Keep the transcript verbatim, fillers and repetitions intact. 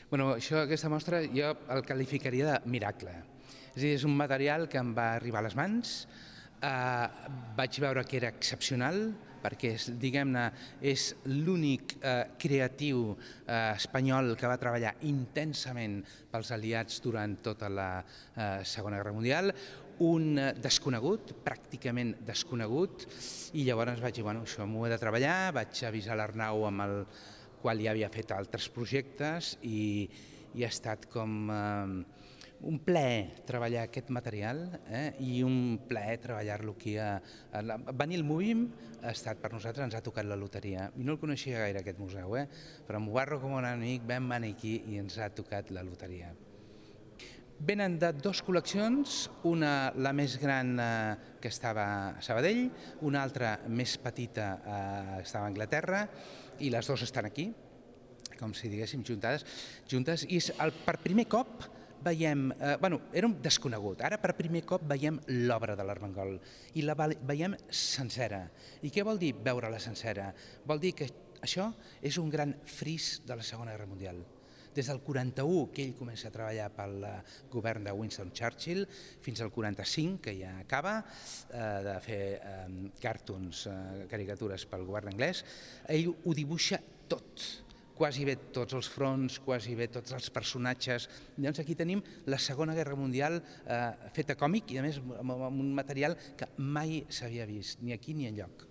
Bueno, això, aquesta mostra jo el qualificaria de miracle. És a dir, és un material que em va arribar a les mans, eh, vaig veure que era excepcional, perquè diguem-ne és l'únic eh, creatiu eh, espanyol que va treballar intensament pels aliats durant tota la eh, Segona Guerra Mundial, un desconegut, pràcticament desconegut, i llavors vaig dir, bueno, això m'ho he de treballar, vaig avisar l'Arnau amb el qual ja havia fet altres projectes i, i ha estat com eh, un plaer treballar aquest material eh, i un plaer treballar-lo aquí. A, a la, venir al Movim ha estat per nosaltres, ens ha tocat la loteria. I no el coneixia gaire aquest museu, eh, però m'ho barro com un amic, vam venir aquí i ens ha tocat la loteria. Venen de dues col·leccions, una la més gran eh, que estava a Sabadell, una altra més petita eh, estava a Anglaterra, i les dues estan aquí, com si diguéssim juntades, juntes, i és el, per primer cop veiem, eh, bueno, era un desconegut, ara per primer cop veiem l'obra de l'Armengol i la veiem sencera. I què vol dir veure-la sencera? Vol dir que això és un gran fris de la Segona Guerra Mundial. Des del quaranta-u, que ell comença a treballar pel govern de Winston Churchill, fins al quaranta-cinc, que ja acaba eh, de fer eh, cartoons, eh, caricatures pel govern anglès, ell ho dibuixa tot, quasi bé tots els fronts, quasi bé tots els personatges. Llavors aquí tenim la Segona Guerra Mundial eh, feta còmic i a més amb un material que mai s'havia vist, ni aquí ni enlloc.